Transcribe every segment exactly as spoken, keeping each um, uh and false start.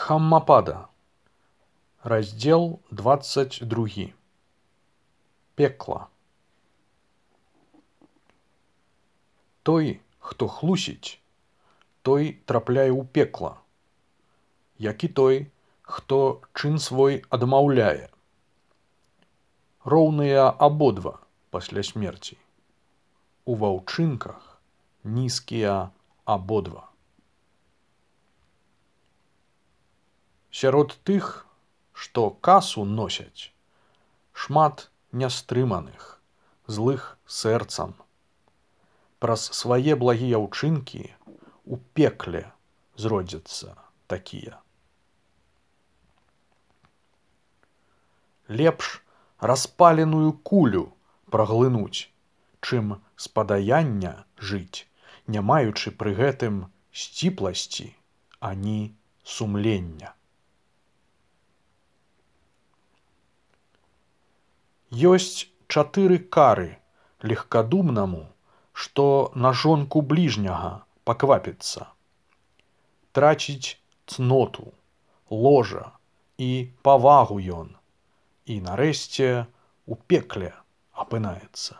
Дхаммапада. Раздел двадцать другі. Пекла. Той, хто хлусіць, той трапляе ў пекла, як і той, хто чын свой адмаўляе. Роўныя абодва пасля смерці. У ваўчынках нізкія абодва. Сярод тых, што касу носяць, шмат нястрыманых, злых сэрцам. Праз свае благія ўчынкі у пекле зродзяцца такія. Лепш распаленую кулю праглынуць, чым з падаяння жыць, не маючы пры гэтым сціпласці ані сумлення. Ёсць чатыры кары легкадумнаму, што на жонку бліжняга паквапіцца. Траціць цноту, ложа і павагу ён, і нарэшце у пекле апынаецца.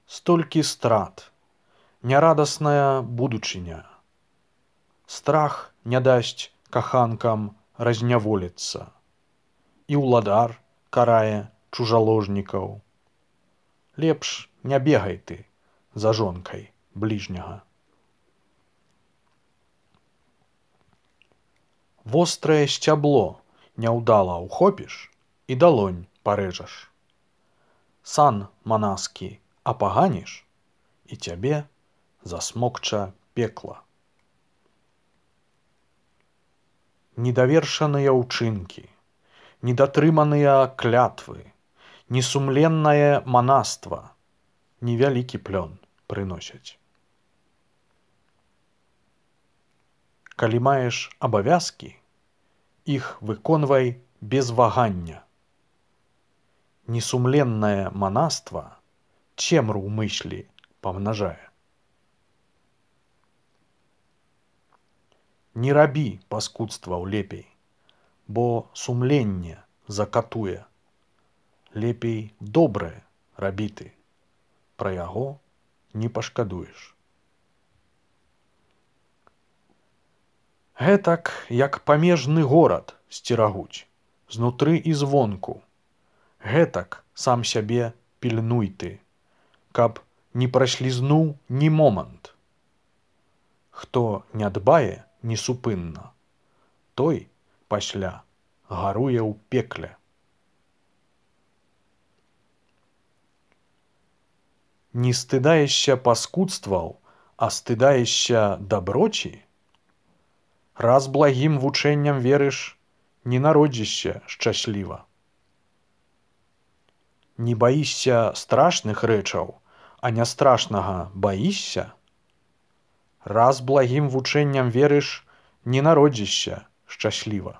Столькі страт, нярадасная будучыня. Страх не дасць каханкам разняволіцца. І ўладар карае чужаложнікаў. Лепш не бегай ты за жонкай бліжняга. Вострае сцябло няўдала ўхопіш і далонь парэжаш. Сан манаскі апаганіш, і цябе засмокча пекла. Недавершаныя ўчынкі, недатрыманыя клятвы, несумленнае манаства невялікі плён прыносяць. Калі маеш абавязкі, іх выконвай без вагання. Несумленнае манаства цемру ў мыслі памнажае. Не рабі паскудстваў лепей, бо сумленне закатуе. Лепей добрае рабі ты, пра яго не пашкадуеш. Гэтак, як памежны горад сцерагуць, знутры і звонку. Гэтак сам сябе пільнуй ты, каб не праслізнуў ні момант. Хто не дбае несупынна, той пасля гаруе ў пекле. Не стыдаешся паскудстваў, а стыдаешся даброчі? Раз благім вучэнням верыш, не народзішся шчасліва. Не баішся страшных рэчаў, а нястрашнага баішся? Раз благім вучэнням верыш, не народзішся шчасліва.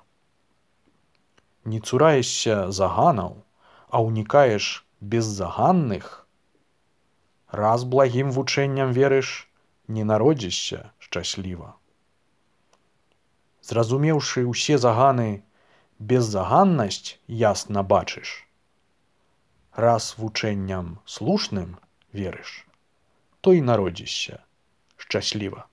Не цураешся заганаў, а ўнікаеш беззаганных? Раз благім вучэнням верыш, не народзішся шчасліва. Зразумеўшы ўсе заганы, беззаганнасць ясна бачыш. Раз вучэнням слушным верыш, то і народзішся шчасліва.